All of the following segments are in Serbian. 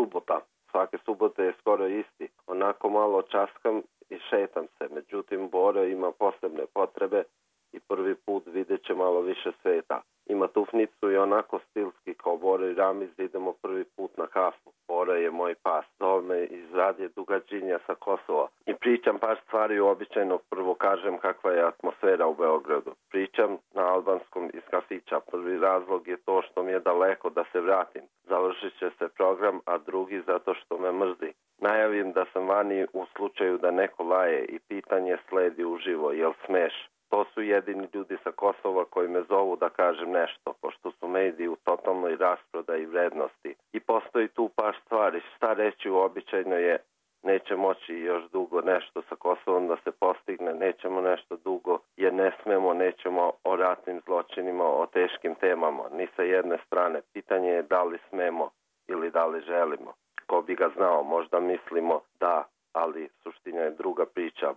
subota. Svake subote je skoro isti. Onako malo časkam i šetam se. Međutim, Boro ima posebne potrebe i prvi put vidjet će malo više sveta. Ima tufnicu i onako stilski kao Boro i Ramiz idemo prvi put na kafu. Boro je moj pas. Zove me iz radije Dugađinja sa Kosova. I pričam par stvari uobičajeno. Prvo kažem kakva je atmosfera u Beogradu. Pričam na albanskom iz kafića. Prvi razlog je to što mi je daleko da se vratim. Završit će se program, a drugi zato što me mrzi. Najavim da sam vani u slučaju da neko laje i pitanje sledi uživo. Jel smeš? To su jedini ljudi sa Kosova koji me zovu da kažem nešto, pošto su mediji u totalnoj rasprodaji vrednosti. I postoji tu par stvari. Šta reći uobičajeno je neće moći još dugo nešto sa Kosovom da se postigne, nećemo nešto dugo jer ne smemo, nećemo o ratnim zločinima, o teškim temama, ni sa jedne strane. Pitanje je da li smemo ili da li želimo. Ko bi ga znao, možda mislimo da, ali suština je druga priča.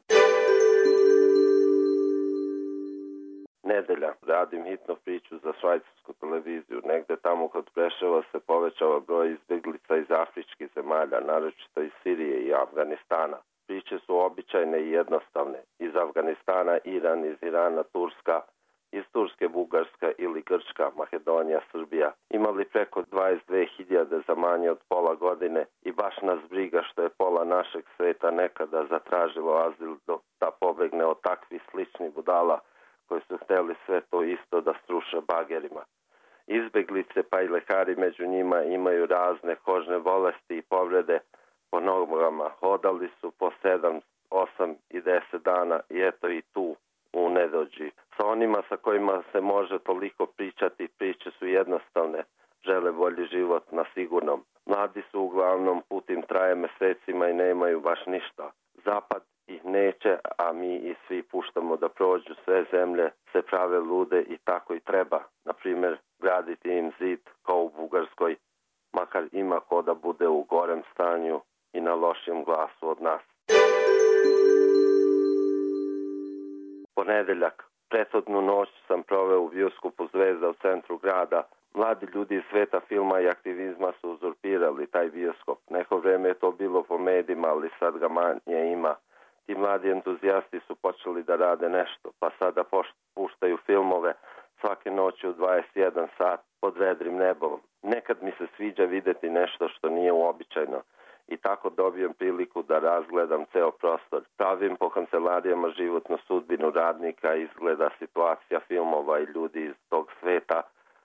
Nedelja. Radim hitnu priču za švajcarsku televiziju. Negde tamo kod Preševa se povećava broj izbjeglica iz afričkih zemalja, naročito iz Sirije i Afganistana. Priče su običajne i jednostavne. Iz Afganistana, Iran, iz Irana, Turska, iz Turske, Bugarska ili Grčka, Makedonija, Srbija. Imali preko 22.000 za manje od pola godine i baš nas briga što je pola našeg sveta nekada zatražilo azil da pobegne od takvih sličnih budala koji su hteli sve to isto da struše bagerima. Izbeglice pa i lekari među njima imaju razne kožne bolesti i povrede po nogama. Hodali su po 7, 8 i 10 dana i eto i tu u nedođi. Sa onima sa kojima se može toliko pričati, priče su jednostavne. Žele bolji život na sigurnom. Mladi su uglavnom, put im traje mesecima i nemaju baš ništa. Zapad ih neće, a mi i svi puštamo da prođu. Sve zemlje se prave lude i tako i treba. Na primjer, graditi im zid kao u Bugarskoj, makar ima ko da bude u gorem stanju i na lošijem glasu od nas. Ponedeljak. Prethodnu noć sam proveo u bioskopu Zvezda u centru grada. Mladi ljudi iz sveta filma i aktivizma su uzurpirali taj bioskop. Neko vreme je to bilo po medijima, ali sad ga manje ima. Ti mladi entuzijasti su počeli da rade nešto, pa sada puštaju filmove svake noći u 21 sat pod vedrim nebom. Nekad mi se sviđa videti nešto što nije uobičajeno i tako dobijem priliku da razgledam ceo prostor. Pravim po kancelarijama životnu sudbinu radnika, izgleda situacija filmova i ljudi iz tog sveta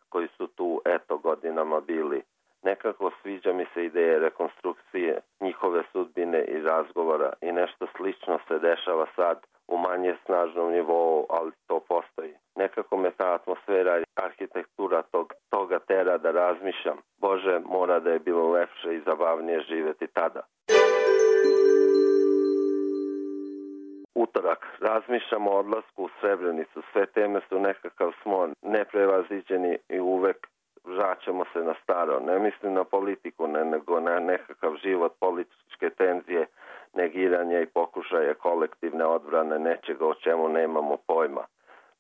koji su tu eto godinama bili. Nekako sviđa mi se ideje rekonstrukcije njihove sudbine i razgovora i nešto slično se dešava sad u manje snažnom nivou, ali to postoji. Nekako me ta atmosfera i arhitektura toga tera da razmišljam. Bože, mora da je bilo lepše i zabavnije živjeti tada. Utorak. Razmišljamo o odlasku u Srebrenicu. Sve teme su nekakav smon, neprevaziđeni i uvek vraćamo se na staro. Ne mislim na politiku, nego na nekakav život, političke tenzije, negiranje i pokušaje kolektivne odbrane nečega o čemu nemamo pojma.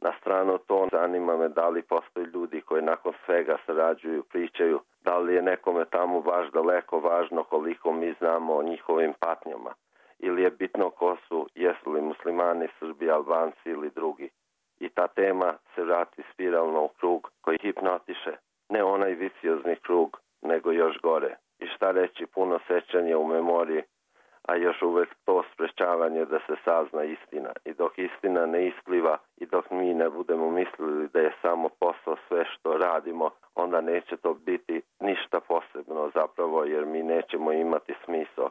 Na stranu to zanima me da li postoji ljudi koji nakon svega sarađuju, pričaju, da li je nekome tamo baš daleko važno koliko mi znamo o njihovim patnjama. Ili je bitno ko su, jesu li muslimani, Srbi, Albanci ili drugi. I ta tema se vrati spiralno u krug koji hipnotiše. Ne onaj viciozni krug, nego još gore. I šta reći, puno sećanja u memoriji, a još uvek to sprečavanje da se sazna istina. I dok istina ne ispliva i dok mi ne budemo mislili da je samo posao sve što radimo, onda neće to biti ništa posebno zapravo, jer mi nećemo imati smisao.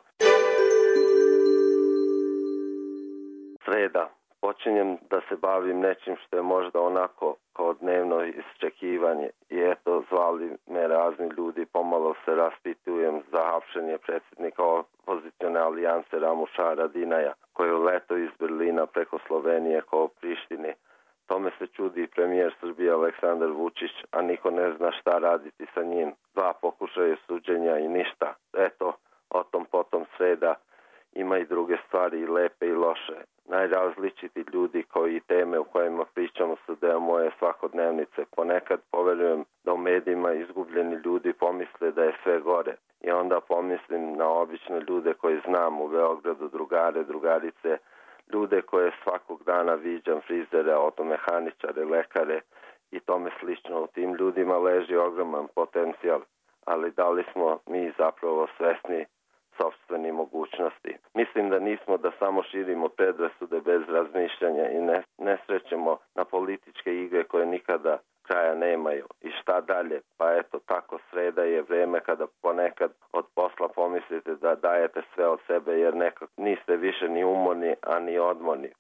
Sreda. Počinjem da se bavim nečim što je možda onako kao dnevno isčekivanje i eto zvali me razni ljudi, pomalo se raspitujem za hapšenje predsjednika opozicione alijanse Ramuša Haradinaja koji je uletao iz Berlina preko Slovenije kao Prištine. Tome se čudi premijer Srbije Aleksandar Vučić, a niko ne zna šta raditi sa njim. 2 pokušaja suđenja i ništa. Eto, o tom potom sreda. Ima i druge stvari, i lepe i loše. Najrazličiti ljudi koji i teme u kojima pričamo su deo moje svakodnevnice. Ponekad poverujem da u medijima izgubljeni ljudi pomisle da je sve gore. i onda pomislim na obične ljude koje znam u Beogradu, drugare, drugarice, ljude koje svakog dana viđam, frizere, automehaničare, lekare i tome slično. U tim ljudima leži ogroman potencijal, ali da li smo mi zapravo svesni sopstveni mogućnosti? Mislim da nismo, da samo širimo predrasude bez razmišljanja i ne srećemo na političke igre koje nikada kraja nemaju. I šta dalje? Pa eto, tako sreda je vreme kada ponekad od posla pomislite da dajete sve od sebe jer nekako niste više ni umorni, a ni odmorni.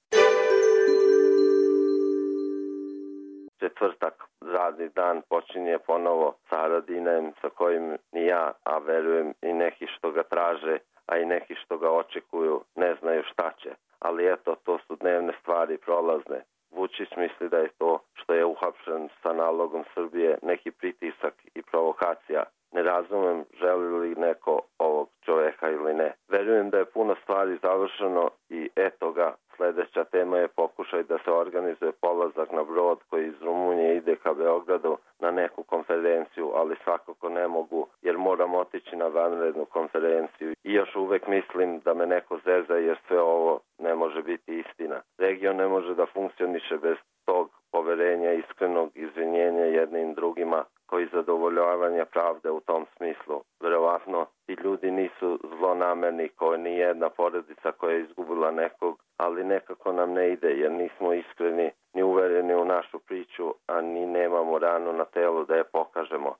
Četvrtak, radni dan, počinje ponovo sa Haradinajem sa kojim ni ja, a verujem i neki što ga traže, a i neki što ga očekuju, ne znaju šta će. Ali eto, to su dnevne stvari, prolazne. Vučić misli da je to što je uhapšen sa nalogom Srbije neki pritisak i provokacija. Ne razumem želi li neko ovog čoveka ili ne. Verujem da je puno stvari završeno i eto ga. Sljedeća tema je pokušaj da se organizuje polazak na brod koji iz Rumunije ide ka Beogradu na neku konferenciju, ali svakako ne mogu jer moram otići na vanrednu konferenciju. I još uvek mislim da me neko zeza jer sve ovo ne može biti istina. Region ne može da funkcioniše bez tog poverenja, iskrenog izvinjenja jednim drugima koji zadovoljavanja pravde u tom smislu. Verovatno ti ljudi nisu zlonamerni kao ni jedna porodica koja je izgubila nekog, ali nekako nam ne ide jer nismo iskreni ni uvereni u našu priču, a ni nemamo ranu na telu da je pokažemo.